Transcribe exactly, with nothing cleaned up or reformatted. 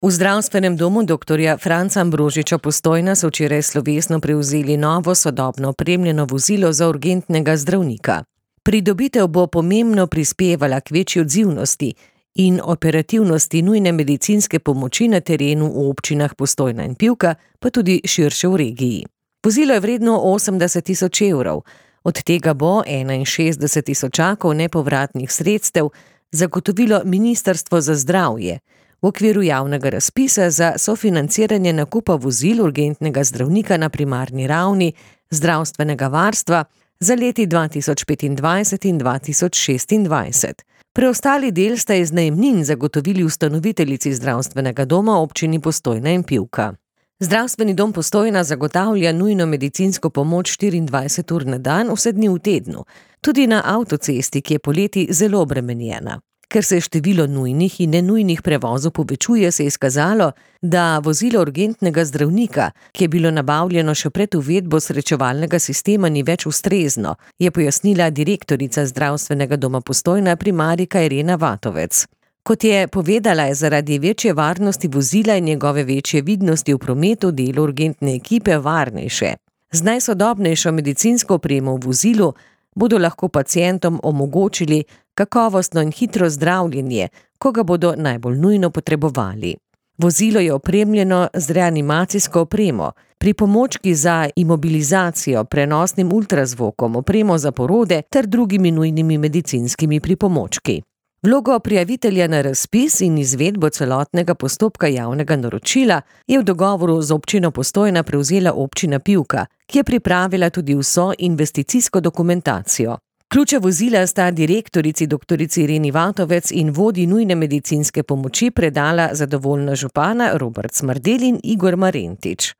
V zdravstvenem domu doktorja Franca Ambrožiča Postojna so včeraj slovesno prevzeli novo sodobno opremljeno vozilo za urgentnega zdravnika. Pridobitev bo pomembno prispevala k večji odzivnosti in operativnosti nujne medicinske pomoči na terenu v občinah Postojna in Pivka, pa tudi širše v regiji. Vozilo je vredno osemdeset tisoč evrov, od tega bo enainšestdeset tisočakov nepovratnih sredstev zagotovilo Ministrstvo za zdravje v okviru javnega razpisa za sofinanciranje nakupa vozil urgentnega zdravnika na primarni ravni zdravstvenega varstva za leti dva tisoč petindvajset in dva tisoč šestindvajset. Preostali del sta iz najemnin zagotovili ustanoviteljici zdravstvenega doma občini Postojna in Pivka. Zdravstveni dom Postojna zagotavlja nujno medicinsko pomoč štiriindvajset ur na dan, vse dni v tednu, tudi na avtocesti, ki je poleti zelo obremenjena. Ker se število nujnih in nenujnih prevozov povečuje, se je izkazalo, da vozilo urgentnega zdravnika, ki je bilo nabavljeno še pred uvedbo srečevalnega sistema, ni več ustrezno, je pojasnila direktorica zdravstvenega doma Postojna primarika Irena Vatovec. Kot je povedala, je zaradi večje varnosti vozila in njegove večje vidnosti v prometu delo urgentne ekipe varnejše. Z najsodobnejšo medicinsko opremo v vozilu bodo lahko pacientom omogočili kakovostno in hitro zdravljenje, ko ga bodo najbolj nujno potrebovali. Vozilo je opremljeno z reanimacijsko opremo, pripomočki za imobilizacijo, prenosnim ultrazvokom, opremo za porode ter drugimi nujnimi medicinskimi pripomočki. Vlogo prijavitelja na razpis in izvedbo celotnega postopka javnega naročila je v dogovoru z občino Postojna prevzela občina Pivka, ki je pripravila tudi vso investicijsko dokumentacijo. Ključe vozila sta direktorici doktorici Ireni Vatovec in vodji nujne medicinske pomoči predala zadovoljna župana Robert Smrdelj in Igor Marentič.